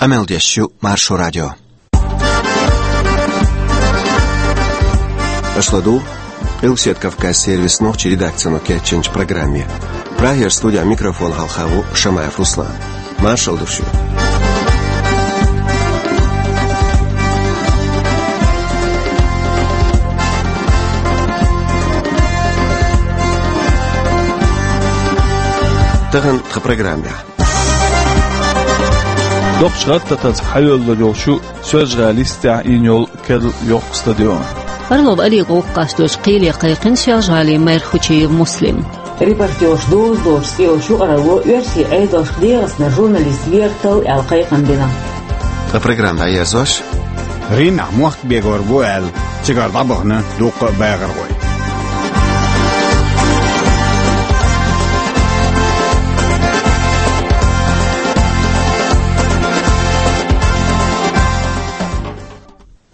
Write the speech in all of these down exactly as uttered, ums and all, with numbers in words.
Къамел деш ю Маршо радио. Аша ладугӀу Къилбаседа Кавказан сервисан нохчийн редакцино кечйинчу программе. Прагера студехь микрофон хьалха ву Шамаев Руслан. Маршалла ду шуьга. Тахана тхан программехь. Доккхачу гӀаттамца хьайоьллур йолчу Соьлжа-ГӀалин йистехь йина йолу керла йоккха стадион. Орлов Алина гӀуллакх къасточу кхеле кхайкхина Соьлжа-ГӀалин мэр Хучиев Муслим. Репортерш доза доцуш цӀе йолчу юкъаралло оьрсийн Ӏедалшка дегӀаца журналист вертал аьлла кхайкхам бина. Ткъа программа дӀаерзош, Римехь мохк бегор бу аьлла, цигара дӀабахана дуккха а бахархой.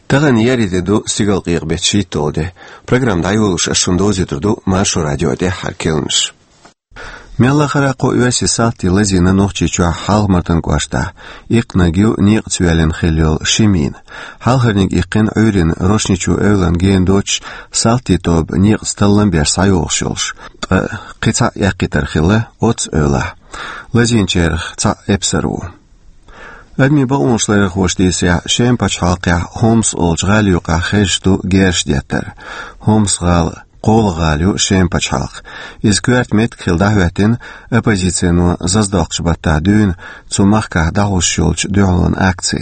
Тахана еарин де ду, стигалкъекъа беттан шийтталгӀа де. Программа дӀайолош ас шуна довзуьйтур ду Маршо радион тӀаьххьара керланаш. Мелла а хӀара кхо оьрсийн салти лазийна Нохчийчохь Хьалха-Мартан кӀоштахь. Иккхинарг ю некъаца йоьллина хилла йолу ши мина. Хьалхарниг иккхина Ӏуьйранна Рошничу эвлана гена доцуш, салтийн тоба некъаца таллам беш схьайогӀуш йолуш. Ткъа кхин цхьаъ эккхийтар хилла оццу эвлахь. Лазийначарах цхьаъ эпсар ву. Адамийн бакъонаш ларъярхоша дийцарехь, Шеман пачхьалкхехь Хомс олучу гӀалин юкъахь хезаш ду герзаш деттар. Хомс-гӀала кхоалгӀа гӀала ю Шеман пачхьалкхехь. Иза коьрта меттиг хила дӀахӀоьттина оппозицино заздоккхучу баттахь дуьйна цу махкахь дӀахьош йолчу дуьхьалонан акци.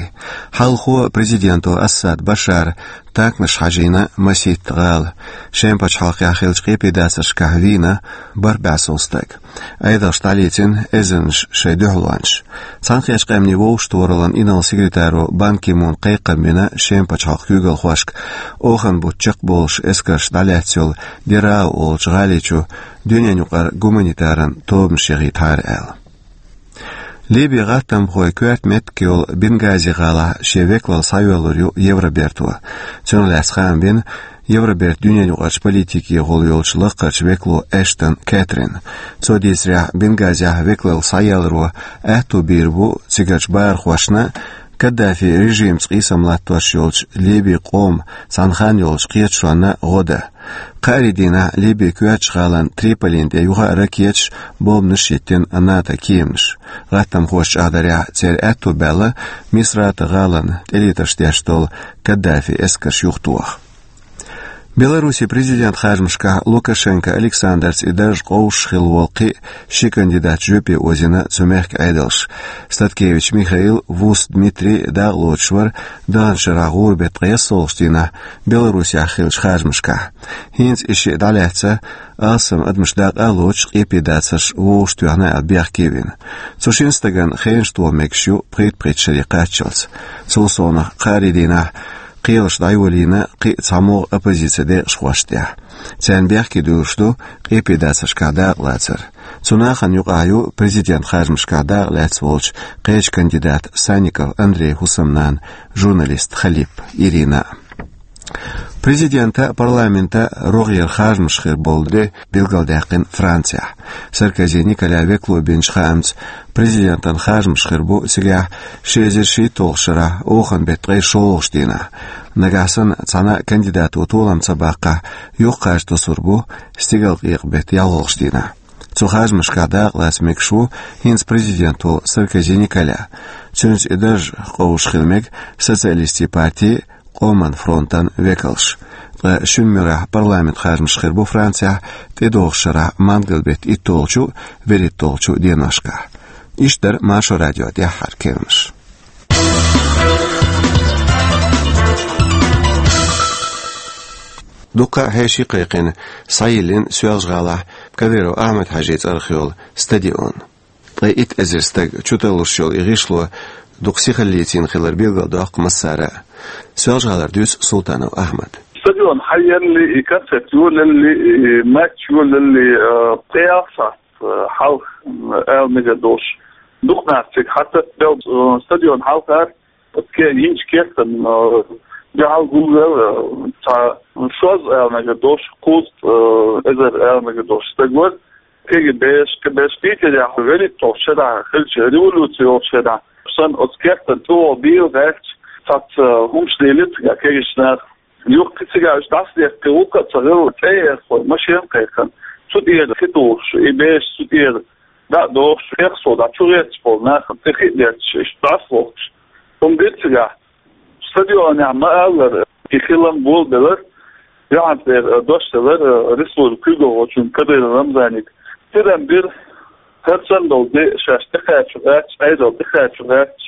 Хьалхо президенто Асад Башара танкаш хьажийна масийтта гӀала. Шеман пачхьалкхехь хиллачу къепедацаршкахь вийна бархӀ бӀе сов стаг. Ӏедалша дӀалецна эзарнаш шайн дуьхьалончаш. Цхьаьнакхеттачу къаьмнийн вовшахтохараллан инарла-секретаро Бан Ки Муна кхайкхам бина Шеман пачхьалкхан куьйгалхошка, оханан бутт чекхболуш эскарш дӀалаьцна йолу Дераа олучу гӀали чу дуьненаюкъара гуманитаран тобанаш яхийтахьара аьлла. Ливин гӀаттамхойн коьрта меттиг йолу Бенгази гӀалахь шен векалалла схьайоьллур ю Евроберто. Цунах лаьцна хаам бина Евробертан дуьненаюкъарчу политикехула йолчу лакхарчу векало Эштон Кэтрина. Цо дийцарехь, Бенгазехь векалалла схьаелларо аьтту бийр бу цигарчу бахархошна Каддафи режимца къийсам латтош йолчу Ливин къоман цхьана хан йолчу кхеташонна гӀо дан. Кхаарин дийнахь Ливин коьртачу гӀалин Триполин тӀе юха а ракеташ, бомбанаш йиттина НАТО кеманаша. ГӀаттамхоша чӀагӀдарехь, церан аьтту баьлла Мисрата гӀалина тӀелетарш деш долу Каддафин эскарш юхатоха. Беларусин президентан харжамашкахь Лукашенко Александрца и дарж къовсуш хилла волу кхин а ши кандидат жоьпе озийна цу мехкан Ӏедалша. Статкевич Михаил, Вус Дмитрий дакъалоцуш вара даханчу шарахь гӀуран беттан ткъе ялсолгӀачу дийнахь Беларусехь хиллачу харжамашкахь. ХӀинца и шиъ дӀалаьцна, алсам адамаш дакъа а лоцуш, къепедацарш вовшахтоьхна аьлла бехке а вина. Цу шина стагана хенаш тоха мегаш ю пхийтта-пхийтта шаре кхаччалц. Цул совнаха, кхаарин дийнахь кхелаш дӀайолийна кхин а цхьамогӀа оппозицин декъашхошна тӀехь. Царна бехке дуьллуш ду къепедацаршкахь дакъалацар. Цу нахана юкъахь ю президентан харжамашкахь дакъалаьцна волчу кхечу кандидатан Санников Андрейн хӀусамнана, журналист Халип Ирина. Президентан а, парламентан а рогӀера харжамаш хир болу де билгалдаьккхина Францехь. Саркози Николя векало бинчу хаамца, президентан харжамаш хир бу цигахь ши эзар шийтталгӀачу шарахь оханан беттан ткъе шолгӀачу дийнахь. Нагахь санна цхьана а кандидато толам ца баккхахь, юхакхача тосур бу стигалкъекъа беттан ялхолгӀачу дийнахь. Цу харжамашкахь дакъалаца мегаш ву хӀинца президент волу Саркози Николя. Цуьнца и дарж къовсуш хила мега Социалистийн партин, Къоман фронтан векалш. Ткъа шина муьрехь парламентан харжамаш хир бу Францехь тӀедогӀучу шарахь мангал беттан иттолгӀачу, вуьрхӀиттолгӀачу деношкахь. Иштта дара Маршо радион тӀаьххьара керланаш. Дуккха а хьеший кхайкхина, схьайиллина Соьлжа-ГӀалахь Кадыров Ахьмад-Хьаьжин цӀарах йолу стадион. Ткъе итт эзар стаг чутарлуш йолу и гӀишло дукха сихаллица йина хилар билгалдоккху массара а. Соьлжа-ГӀалара дуьйцу Султанов Ахьмада. Стадион хьаелли, и концерт йолалли, и матч йолалли, э, пхи-ялх сахьт, э, хьалха, м, ала мегар долуш, дукха нах цига хьататтабелла, э, стадион хьалхара, оцу ке-, йинчу кертан, э, дуьхьал гулвелла, э, цхьа шозза ала мегар долуш, кхузткъа, э, эзар ала мегар долуш стаг вара. КГБ-шка, КГБ-шка Питерехь вуьрхӀитталгӀачу шарахь хиллачу революци йолчу шарахь Сан оцу кертан чӀогӀа бийла гӀерташ, цхьацца хӀумаш лелира цигахь кегийчу наха. Юха кхин цигахь уьш дӀасадаьккхина, вукху а ца хилла, цӀе а яьккхина, машен а кхайкхина, цу тӀера хи тухуш, и бераш цу тӀера дӀа а дохуш, хьехсо дӀа чу гӀерташ болу нахана тӀе хи а детташ, иштта дӀасавоккхуш, хӀума дира цигахь. Стадионехь ма-аллара, и хилам болабелира, юьхьанцара дош делира республикан куьйгалхочунна Кадыров Рамзанга. Тидам бира, хӀара санна долу де шаьш тӀекхача гӀерташ, Ӏедал тӀекхача гӀерташ,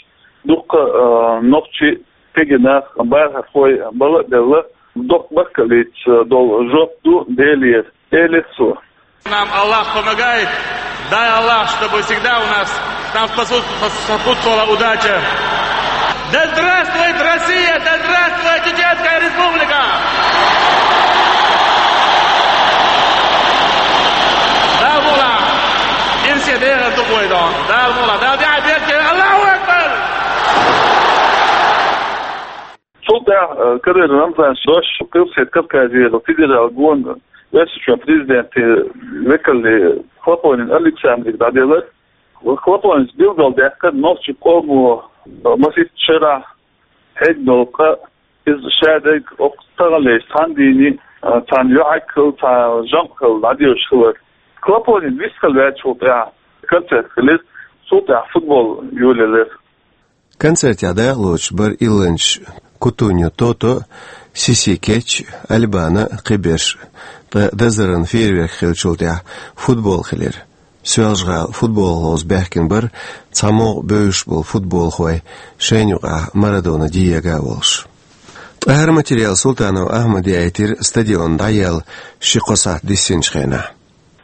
дуккха а, нохчий, кегий нах, бахархой бала а белла, доккха баркаллица долу жоп ду Делера, элира цо. Нам Аллах помогает. Дай Аллах, чтобы всегда у нас нам способ-, сопутствовала удача. Да здравствует Россия! Да здравствует Чеченская Республика! Да, Мула! Им все дера тупой дом. Да, Мула! Да, да, да, да, Аллаху Акбар! Цул тӀаьхьа, э, Кадыров Рамзана дош Къилбаседа Кавказера федералан гонан Оьрсийчоьнан президентан векале Хлопонин Александре дӀаделира. Хлопонис билгалдаьккхира нохчийн къомо, э, масийтта шарахь хьегна долу къа, иза шадерг оцу таханлерчу цхьана дийнахь, э, цхьана йоӀ хилла, цхьана жамӀ хилла дӀадоьдуш хилар. Хлопонин вистхила ваьллачул тӀаьхьа концерт хилира, цул тӀаьхьа футбол йолаелира. Концертехь дакъалоцуш бара илланчаш Кутуньо Тото, Сиси Кетч, Альбана, кхиберш, ткъа дазаран фейерверк хиллачул тӀаьхьа футбол хилира. Соьлжа-ГӀала футболах ловза баьхкина бара цхьа могӀа бевзаш болу футболхой, шайна юкъахь Марадона Диего а волуш. Ткъа хӀара материал Султанов Ахьмада яийтира стадион дӀаяьлла ши-кхо сахьт диссинчу хенахь.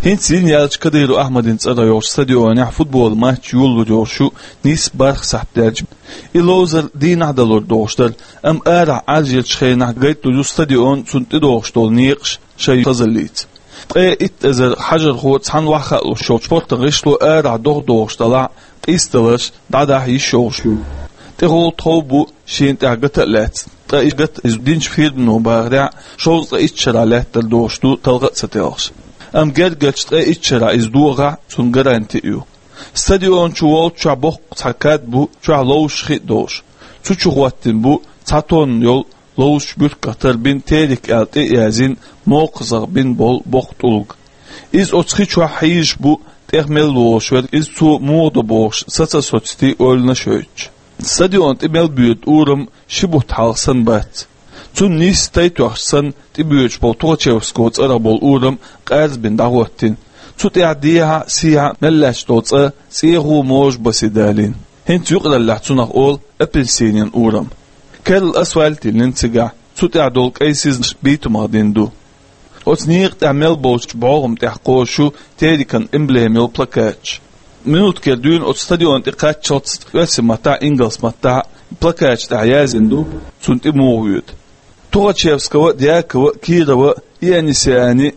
ХӀинца йина яьллачу Кадыров Ахьмадан цӀарах йолчу стадионехь футболан матч йолалур йолуш ю нийсса бархӀ сахьт даьлча. И ловзар дийнахь далур долуш дара, амма арахь Ӏаржъеллачу хенахь гайталур ю стадион, цунна тӀедогӀуш долу некъаш шайн хазаллица. Ткъе итт эзар хьажархо цхьаьна охьахаалуш йолчу спортан гӀишло арахь догӀа догӀуш делахь а, къийсадаларш дӀадахьа йиш йолуш ю. ТӀехула тхов бу шена тӀехь гата а лаьцна, ткъа и гата иза динчу фирмано бахарехь, шовзткъе итт шарахь лаьттар долуш ду талха а ца телхаш. Амма гергарчу ткъе итт шарахь иза догӀахь, цунна гаранти а ю. Стадион чу волччохь боккха цхьа кад бу, чохь ловзуш хи а долуш. Цу чу хӀоттийна бу цхьа тонна йолу ловзучу буьрках тарбина, «Терек» аьлла тӀе а язйина, мокхазах бина болу боккха тӀулг. Иза оцу хи чохь хьийзаш бу, тӀех мел волуш верг иза цо муха до бохуш, саца а социтий ойланаш а йойтуш. Стадион тӀе мел боьду урам ши бутт хьалха санна бац. Цунна нийсса тай тоьхча санна тӀебоьдуш болу Тухачевского цӀарах болу урам къаьрзабина дӀахӀоттийна. Цу тӀехь дехьа а, сехьа а мел лаьтташ долу цӀа цӀехо а, можа а басе далийна. ХӀинца юкъараллехь цунах олу апельсинийн урам. Керла асфальт йиллина цигахь, цу тӀехь долу кӀайн сизнаш битумах дина ду. Оцу некъа тӀехь мел болчу бӀогӀам тӀехь кхозуш ю «Терекан» эмблема йолу плакаташ. Минуткера дуьйна оцу стадион тӀе кхаччалц оьрсийн маттахь а, ингалс маттахь а плакаташ тӀехь яздина ду, цунна тӀе муха воьду. Тухачевского, Дьякова, Кирова, Ионисиани,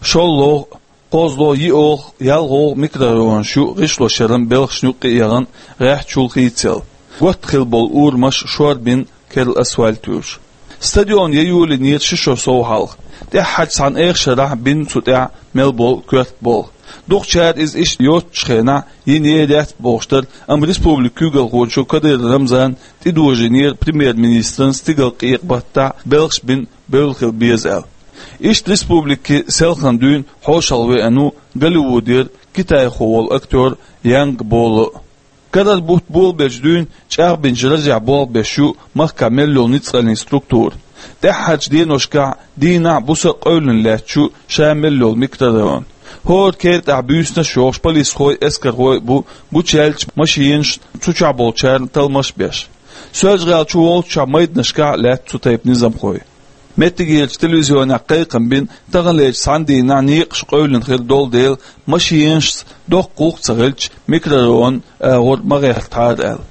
ШолгӀа, КхозлагӀа, ЙиогӀа, ЯлгӀогӀа микрорайонаш ю гӀишлошъяран белхашна юккъе а яхана гӀеххьачул хийцаелла. Готта хилла болу урамаш шорбина, керла асфальт вуьйш. Стадион яйолийнера ши шо сов хьалха. ТӀаьххьарчу цхьана эха шарахь бина цу тӀехь мел болу коьрта болх. Дукхачара иза иштта йоцучу хенахь йинера яц бохуш дара, амма республикан куьйгалхочо Кадыров Рамзана тӀедожийнера премьер-министран стигалкъекъа баттахь белхаш бина бевлла хила беза аьлла. Иштта республикан селхана дуьйна хьошалгӀа веана ву Голливудера китайхо волу актер Янг Боло. Карара бутт болабелча дуьйна чӀагӀбинчу ражехь болх беш ю махкахь мел йолу ницкъаллин структура. ТӀаьххьарчу деношкахь дийнахь а, буса а къевлина лаьтташ ю ша мел йолу микрорайон. ХӀора кертахь буьйсанаш а йохуш полисхой а, эскархой а бу, гучуяьллачу машинашна, цу чохь болчарна талламаш а беш. Соьлжа-ГӀала чу волччохь майданашкахь а лаьтта цу тайпа низамхой. Меттигерчу телевизионехь кхайкхам бина, таханлерчу цхьана дийнахь некъаш къевлина хир долу дела, машинашца доккха гӀуллакх ца хилча, микрорайон агӀор ма гӀертахьара аьлла.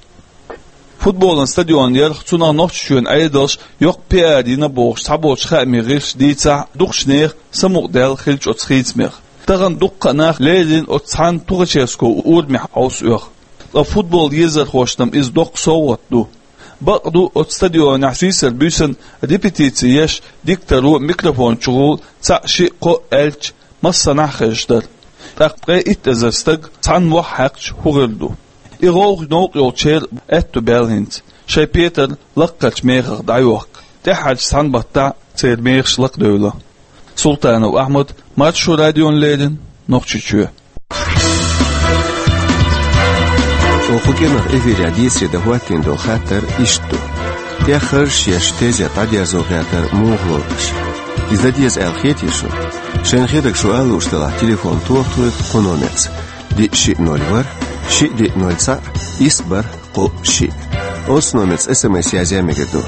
Футболан стадион ярх, цунах Нохчийчоьнан Ӏедалша йоккха пиар йина бохуш цхьаболчу хаамийн гӀирсаша дийцахь а, дукхачу нехан самукъадаьлла хилча оцу хийцамех. Тахана дуккха а нах леррина оцу цхьана Тухачевского урамехь хьовса оьху. Ткъа футбол езархошна-м иза доккха совгӀат ду. Бакъ ду, оцу стадионехь сийсара буьйсанна репетици еш, дикторо микрофон чухула цхьаъ, шиъ, кхоъ аьлча, массанхьа а хезаш дара. ТӀаккха ткъе итт эзар стаг цхьана мохь хьаькхча хӀун хир ду? И гӀовгӀа новкъа йолчеран аьтту баьлла хӀинца, шоай петар лакхарча мехах дӀайохка, тӀаьххьарча цхьан баттахь церан мехаш лакхадевлла. Султанов Ахьмад, Маршо радиона леррина, Нохчийчоь. Оха кху кӀиранах эфирехь дийцаре дан хӀоттийна долу хаттар иштта ду. ТӀеххьарш еш тезет дӀадерзо гӀертар муха лору аша? Иза дан деза аьлла хетий шуна? Шайна хетарг шу ала лууш делахь, телефон тоха тхоьга кху номерца: диъ шиъ ноль ворхӀ, шиъ диъ ноль цхьаъ, исс бархӀ кхоъ шиъ. Оцу номерца СМС язъян мегар ду.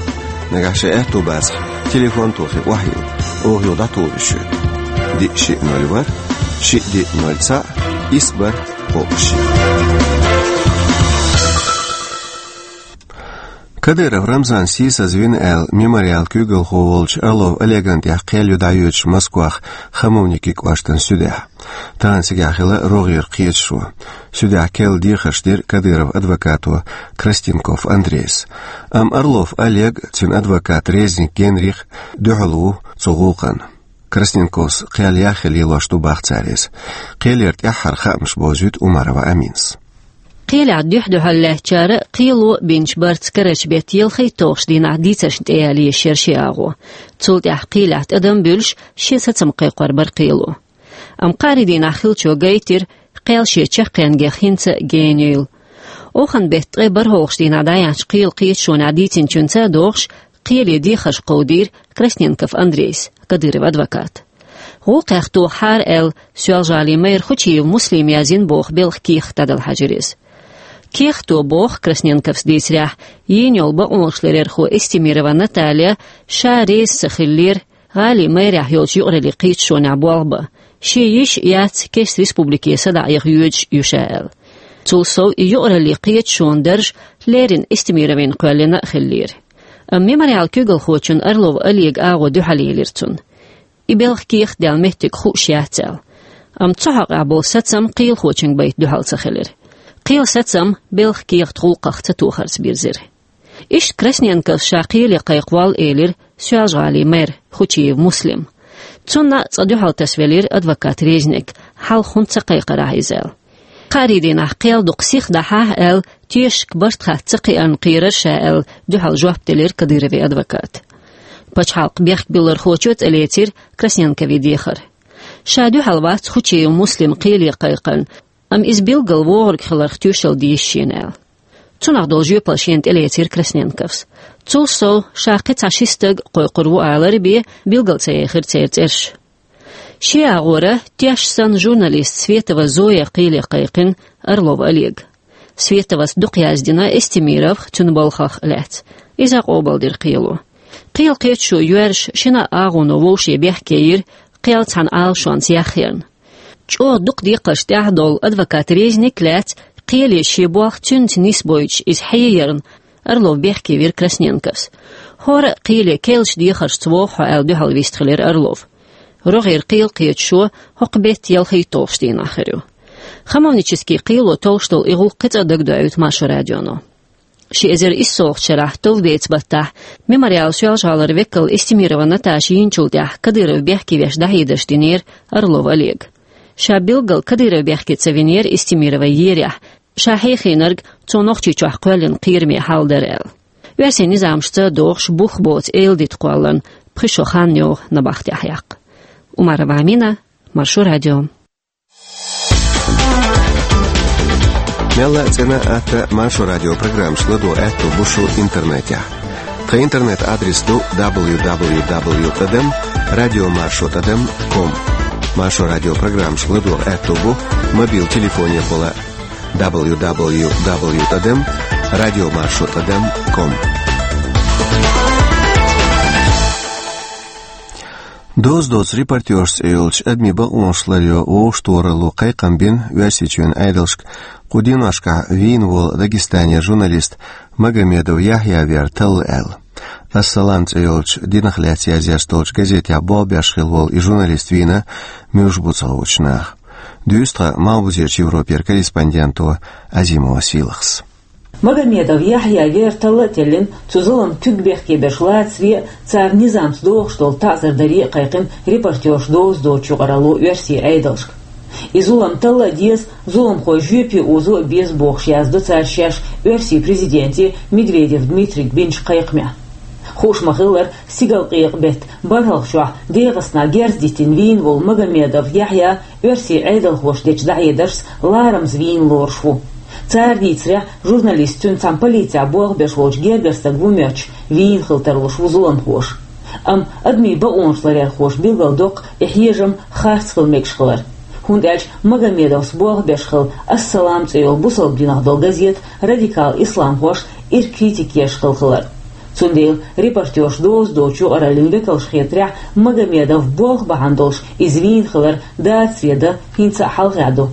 Нагахь шайн аьтту бацахь, телефон тохий охьайилла, оха юха дӀатухур ю шуьга. Диъ шиъ ноль ворхӀ, шиъ диъ ноль цхьаъ, исс бархӀ кхоъ шиъ. Кадыров Рамзан сийсазвина аьлла, Мемориалан куьйгалхо волчу Орлов Олеган тӀехь кхел ю дӀайоьдуш Москвахь Хамовники кӀоштан суьдехь. Тахана цигахь хилла рогӀера кхеташо. Суьдехь керла дехарш дира Кадыровн адвокато Красненков Андрейс. Амма Орлов Олег, цуьнан адвокат Резник Генрих дуьхьал ву цу гӀуллакхна. Красненковс кхел яхъян лелош ду, боху цара иза. Кхелера тӀаьххьара хаамаш бовзуьйту Умарова Аминас. Кхелехь дуьхь-дуьхьал лаьттачара кхело бинчу барца карарчу беттан ялхайтталгӀачу дийнахь дийцаршна тӀеяла езаш яра ши агӀо. Цул тӀаьхьа кхелехь тӀадам буьллуш, шен сацам кхайкхор бара кхело. Амма кхаарин дийнахь хиллачо гайтира, кхел шен чаккхенгех хӀинца а гена йойла. Оханан беттан ткъе бархӀалгӀачу дийнахь дӀаяьхьначу кхелан кхеташонехь дийцинчуьнца а догӀуш, кхеле дехарш кховдийра Красненков Андрейс, Кадыровн адвоката. ГӀуллакхех тохахьара аьлла, Соьлжа-ГӀалин мэр Хучиев Муслима яздина боху белхан кехат дӀадала хьаьжира иза. Кехато боху, Красненковс дийцарехь, йийна йолу бакъонашларъярхо Эстемирова Наталья ша реза ца хиллера гӀалин мэрехь йолчу юкъараллин кхеташонехь болх бан, шен йиша а яц кеста республике садаӀа яха йоьдуш ю ша аьлла. Цул сов, и юкъараллин кхеташонан дарж леррина Эстемировна кхоьллина а хиллера. Амма Мемориалан куьйгалхочунна Орлов Олеган агӀо дуьхьал елира цунна. И белхан кехат даьлла меттиг хууш яц аьлла. Амма цу хьокъехь болу сацам кхелахочуьнга байта дуьхьал ца хилира. Кхелан сацам белхан кехат гӀуллакхах ца тохарца бирзира. Иштта Красненковс ша кхеле кхайкхаволлу элира Соьлжа-ГӀалин мэр Хучиев Муслим. Цунна а цкъа дуьхьал тасавелира адвокат Резник, хьалха хӀунда ца кхайкхира ахь иза аьлла. Кхаарин дийнахь кхел дукха сиха дахьахь аьлла, тешашка барт хатта ца кхиарна кхерара ша аьлла, дуьхьал жоп делира Кадыровн адвоката. Пачхьалкхан бехкбиллархочо а цӀанлецира Красненковн дехар. Ша дуьхьал вац Хучиев Муслим кхеле кхайкхарна, амма иза билггал вогӀург хиларх тоьшалла деза шена аьлла. Цунах долу жоьпалла шена тӀелецира Красненковс. Цул сов, ша кхин цхьа ши стаг кхойкхур ву алар а бен, билгал ца яьхира церан цӀераш. Шен агӀора теш санна журналист Светова Зоя кхеле кхайкхина Орлов Олега. Световас дукха яздина Эстемировх, цуьнан балхах а лаьцна. Иза къобалдира кхело. Кхелан кхеташо йоьрзуш, шина а агӀоно вовшийн бехке йира кхел цхьана Ӏалашонца яхъярна. ЧӀогӀа дукха декхарш тӀехь долу адвокат Резник а лаьцна, кхеле шен болх цуьнца нисбойтуш иза хьеярна, Орлов бехке вира Красненковс. ХӀора а кхеле керлачу дехаршца вогӀу хьо аьлла дуьхьал вистхилира Орлов. РогӀера кхелан кхеташо хӀокху беттан ялхайтталгӀачу дийнахь хир ю. Хамовнически кхело толлуш долу и гӀуллакх кхин цкъа дагадоуьйту Маршо радионо. Ши эзар иссалгӀачу шарахь товбеца баттахь Мемориалан Соьлжа-ГӀалара векал Эстемирова Наташа йийначул тӀаьхьа Кадыровн бехке веш дӀахьедарш динера Орлов Олега. Ша билггал Кадыровн бехке ца винера Эстемирова ерехь, ша хьехийнарг цо Нохчийчохь кхоьллина кхераме хьал дара аьлла. Оьрсийн низамашца догӀуш бух боцу эладита кхолларна пхи шо хан йогӀу набахтехь яккха. Умарова Амина, Маршо радио. Мелла а цӀена а, атта Маршо радио программаш ладогӀа аьтто бу шун интернетехь. Тхан интернет-адрес ду дабл ю дабл ю дабл ю тӀадам радио маршо тӀадам ком. Маршо радио программаш ладогӀа аьтто бу мобил телефонехула дабл ю дабл ю дабл ю тӀадам радио маршо тӀадам ком. «Доза доцу репортёрша» цӀе йолчу адамийн бакъонаш ларъяран вовшахтохаралло кхайкхам бина Оьрсийчоьнан Ӏедалшка кху деношкахь вийна волу Дагестанера журналист Магомедов Яхьъя вер талла аьлла. «Ас-Салам» цӀе йолчу динах лаьцна язъеш долчу газетехь болх беш хилла волу и журналист вийна муьлш бу ца хуучу наха. Дуьйцу тхан Малхбузерчу Европера корреспонденто Азимова Сийлахьас. Магомедов Яхьъя вер талла а теллина, цу зуламна куьг бехке берш лацаре а, царна низамца догӀуш долу таӀзар даре а кхайкхина репортёрша «Доза доцу» юкъаралло оьрсийн Ӏедалшка. И зулам талла а деза, зуламхой жоьпе озо а беза бохуш, яздо цара шаьш Оьрсийн президенте Медведев Дмитрийга бинчу кхайкхамехь. Хууш ма-хиллара, стигалкъекъа беттан бархӀалгӀачохь ДегӀастанахь герз диттина вийна волу Магомедов Яхьъя оьрсийн Ӏедалхоша дечу дӀахьедаршца ларамаза вийна лоруш ву. Цара дийцарехь, журналист цуьнан цхьана полицехь болх беш волчу гергара стага ву моьттуш, вийна хила тарлуш ву зуламхоша. Амма адамийн бакъонаш ларъярхоша билгалдоккху и хьежам харц хила мегаш хилар. ХӀунда аьлча Магомедовс болх беш хилла «Ас-Салам» цӀе йолу бусалба динах долу газета радикал исламхоша ирча критика еш хилла хилар. Цундела репортерш доза доцучу юкъараллин векалша хетарехь, Магомедов болх бахьана долуш иза вийна хилар дацаре дан хӀинца а хьалхе ду.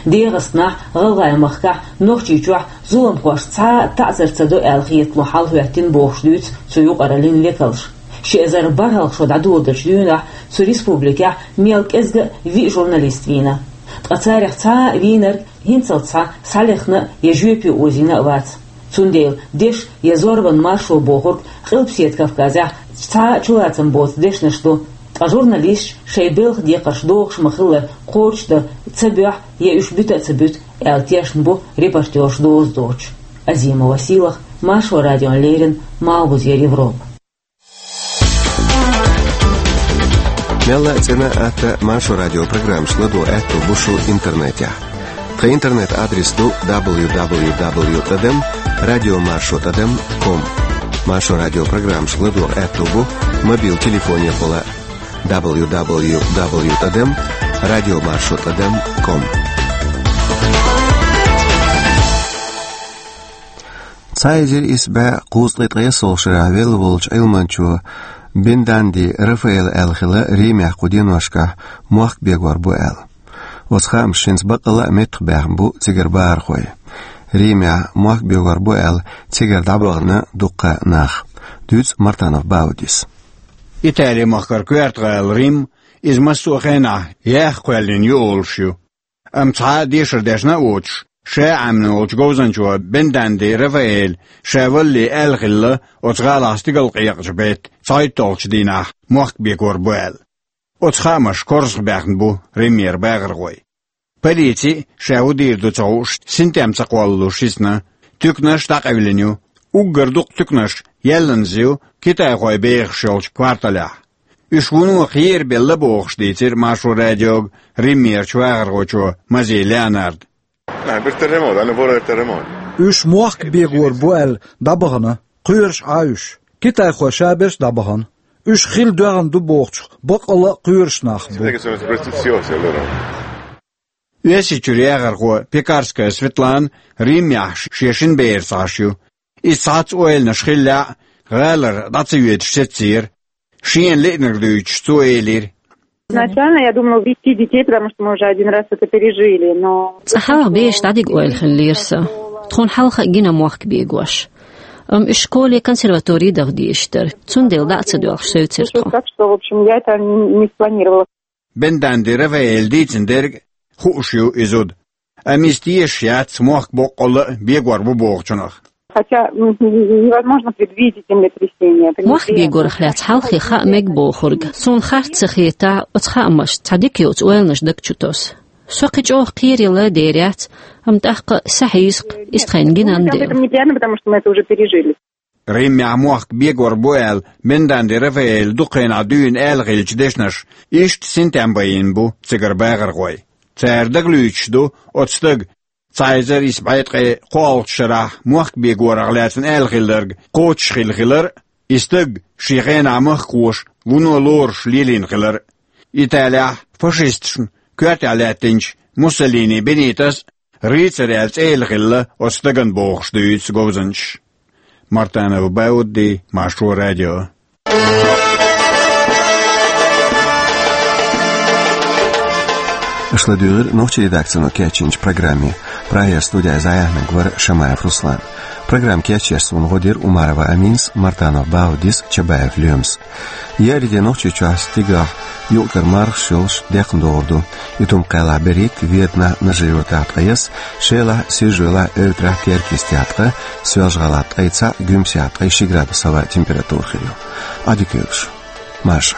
ДегӀастанахь, ГӀалгӀай махкахь, Нохчийчохь зуламхошна цхьа а таӀзар ца до аьлла хетало хьал хӀоьттина бохуш дуьйцу цу юкъараллин векалша. Ши эзар бархӀалгӀа шо дӀадоладелчу дуьйнахь цу республикехь мел кӀезга а виъ журналист вийна. Ткъа царах цхьа а вийнарг хӀинцалц схьа схьалехна а я жоьпе озийна а вац. Цундела дешна я зорбанан маршо бохург Къилбаседа Кавказехь цхьа а чулацам боцу дешнаш ду, ткъа журналисташ шайн белхан декхарш дохуш ма-хиллара кхочушдан ца боьху я уьш буьта а ца буьту аьлла тешна бу репортерш доза доцуш. Азимова Сийлаха, Маршо радиона леррина, Малхбузера Европа. Мелла а цӀена а, атта а Маршо радион программаш ладогӀа аьтто бу шун интернетехь. Тхан интернет-адрес ду дабл ю дабл ю дабл ю тӀадам радио маршо тӀадам ком. Маршо радион программаш ладогӀа аьтто бу мобил телефонехула дабл ю дабл ю дабл ю тӀадам радио маршо тӀадам ком. Цхьа эзар исс бӀе кхузткъе ткъайоьссалгӀа шарахь велла волчу Ӏилманчо Бенданди Рафаэла аьлла хилла Римехь кху деношкахь мохк бегор бу аьлла. Оцу хаамаша хӀинца баккъалла а меттахбаьхна бу цигара бахархой. Римехь мохк бегор бу аьлла цигара дӀабахана дуккха нах. Дуьйцу Мартанов Баудис. Итали-махкара коьрта гӀала Рим, иза массо а хенахь яха кхоьллина ю олуш ю. Амма цхьа а дешар дешна а воцуш, ша Ӏамийна волчу говзанчо Бенданди Рафаэла ша валале аьлла хилла оцу гӀалахь стигалкъекъачу беттан цхьайтталгӀачу дийнахь мохк бегор бу аьлла. Оцу хаамаша корзахбаьхна бу Римера бахархой. Полици а, ша хӀун дийр ду ца хууш, синтем ца кхоллалуш йисна, туьканаш дӀакъевлина ю. Уггар дукха туьканаш яьлланза ю китайхой бехаш йолчу кварталехь. Уьш вуно кхерабелла бохуш дийцира Маршо радиога Римерачу вахархочо Мази Леонарда. Ah, per terremoto, hanno paura del terremoto. Уьш мохк бегор бу аьлла дӀабахана, кхоьруш Ӏа уьш. Китайхой шаберш а дӀабахана. Уьш хила доьгӀна ду бохучух баккъалла а кхоьруш нах бу. Sai che sono superstiziosi, allora. Оьрсийчуьра яхархо Пекарская Светлана Римехь шен шина бераца Ӏаш ю. Иза цхьацца ойланаш хиллехь а, гӀалара дӀа ца йоьдуш сецира. Шена лиънарг дуьйцуш, цо элира: Изначально я думала увезти детей, потому что мы уже один раз это пережили, но... Цкъа хьалха бераш дӀадига ойла хиллера сан. Тхуна хьалха а гина мохк бегош. Амма уьш школе, консерватори даха дезаш дара. Цундела дӀа а ца доьлхуш севцира тхо. Так что, в общем, я это не, не спланировала. Бенданди Рафаэла дийцина дерг хууш ю и зуда. Амма иза тешаш яц мохк боккъалла а бегор бу бохучунах. Хотя, м, невозможно предвидеть землетрясение. Это... Мохк бегорах лаьцна хьалххе хаа мега бохург. Суна харц ца хетахь, оцу хаамашца цхьа дика йоцу ойланаш даг чу тосу. Со кхин чӀогӀа кхералла а дер яц, амма тӀаккха а сахьийза-кх, иза тхайна гинан дела. Об этом неприятно, потому что мы это уже пережили. Римехь мохк бегор бу аьлла Бенданди Рафаэла дукха хенахь дуьйна аьлла хиллачу дешнаша иштта синтем байина бу цигара бахархой. Цара дагалуьйчуш ду оцу стага цхьа эзар исс бӀе ткъе кхоалгӀачу шарахь мохк бегорах лаьцна аьлла хилларг кхочуш хилла хилар а, и стаг шен хенахь махкахоша вуно лоруш лелийна хилар а. Италехь фашисташна коьртехь лаьттинчу Муссолини Бенитос рыцарь аьлла цӀе елла хилла оцу стагана бохуш дуьйцу говзанчаша. Мартанов Баудди, Маршо радио. Аша ладуьйгӀира нохчийн редакцино кечйинчу программе. Прагера студехь иза дӀаяьхьнарг вара Шамаев Руслан. Программа кечъеш суна гӀо дира Умарова Аминас, Мартанов Баудис, Чабаев Лоьмас. Еарин де Нохчийчохь стигахь юкъ-кара мархаш йолуш декхна догӀур ду. Итум-Кхаьллахь берхӀитта, Веданахь, Нажи-Юьртахь ткъе исс, Шелахь, Сиржа-Юьлахь, Эвтарахь, Теркйистехь ткъа, Соьлжа-ГӀалахь ткъе цхьаъ, Гуьмсехь ткъе ши градус хӀаваан температура хир ю. Ӏадика йойла шун. Маршо.